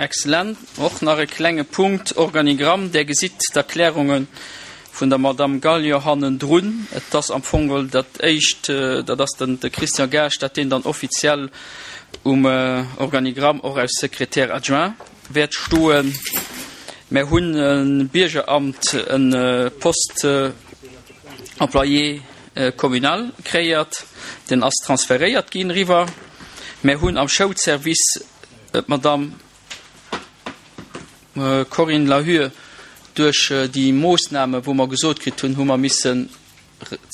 Excellent. Och nach e klenge Punkt, Organigramm. Där gesitt d'Erklärunge vun der Madamm Gallio hannendrun. Et ass am Fong geholl dat éischt, dat ass den de Christian Gaasch, dat deen dann offiziell um Organigramm och als Secrétaire adjoint wäert stoen. Mär hunn e Biergeramt, e Poste employé communal kreéiert, deen ass transferéiert ginn eriwwer. Mär hunn am Schoulservice d'Madamm Corinne Lahur duerch déi Moossname wou mer gesot kritt hunn, hu mer missen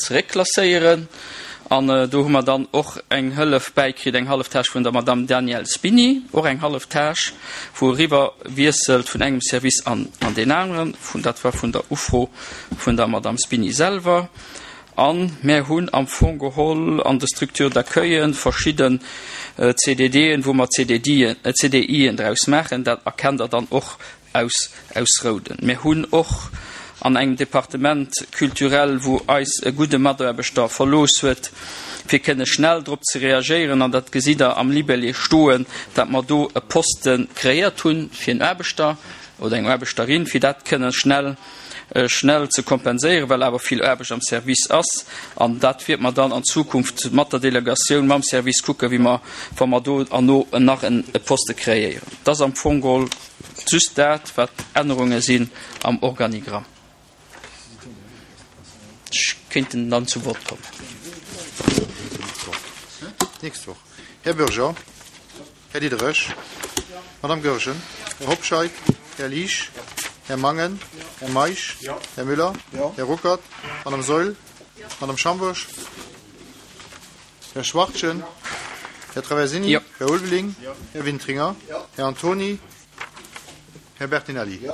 zeréckklasséieren an do hu mer dann och eng Hëllef bäikritt, eng hallef Tâche vun der Madamm Danièle Spini, och eng hallef Tâche, wou eriwwer wiesselt vun engem Service an an deen aneren, vun dat war vun der Ufro vun der Madamm Spini selwer. A mär hunn am Fong geholl an de Structures d'accueillen verschidden CDDen, wou mer CDIen draus maachen. Dat erkennt Der dann och aus aus Rouden. Mir hunn och an engem Departement culturel, wou eis e gudde Mataarbechter verlooss huet, fir kënne schnell drop ze reagéieren, an dat gesitt Der am Libellé stoen, dat mer do e Poste kreéiert hunn fir en Aarbechter oder eng Aarbechterin, fir dat kënne schnell schnell ze kompenséieren, well awer vill Aarbecht am Service ass. An dat wäerte mer dann an Zukunft mat der Delegatioun, mam Service kucken, wéi mer, wa mer do erno nach e Poste kreéieren. Dat ass am Fong geholl just dat, wat Ännerunge sinn am Organigramm. Ech kéint dann zu Wort kommen. D'nächst Woch. Här Bürger. Här Diderich. Madame Goergen. Här Hobscheit. Här Liesch. Här Mangen. Här Meisch. Här Müller. Här Ruckert. Madame Saeul. Madame Schambourg. Här Schwachtgen. Här Traversini. Här Ulveling. Här Wintringer. Här Antoni. Här Bertinelli.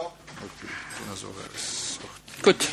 Gutt.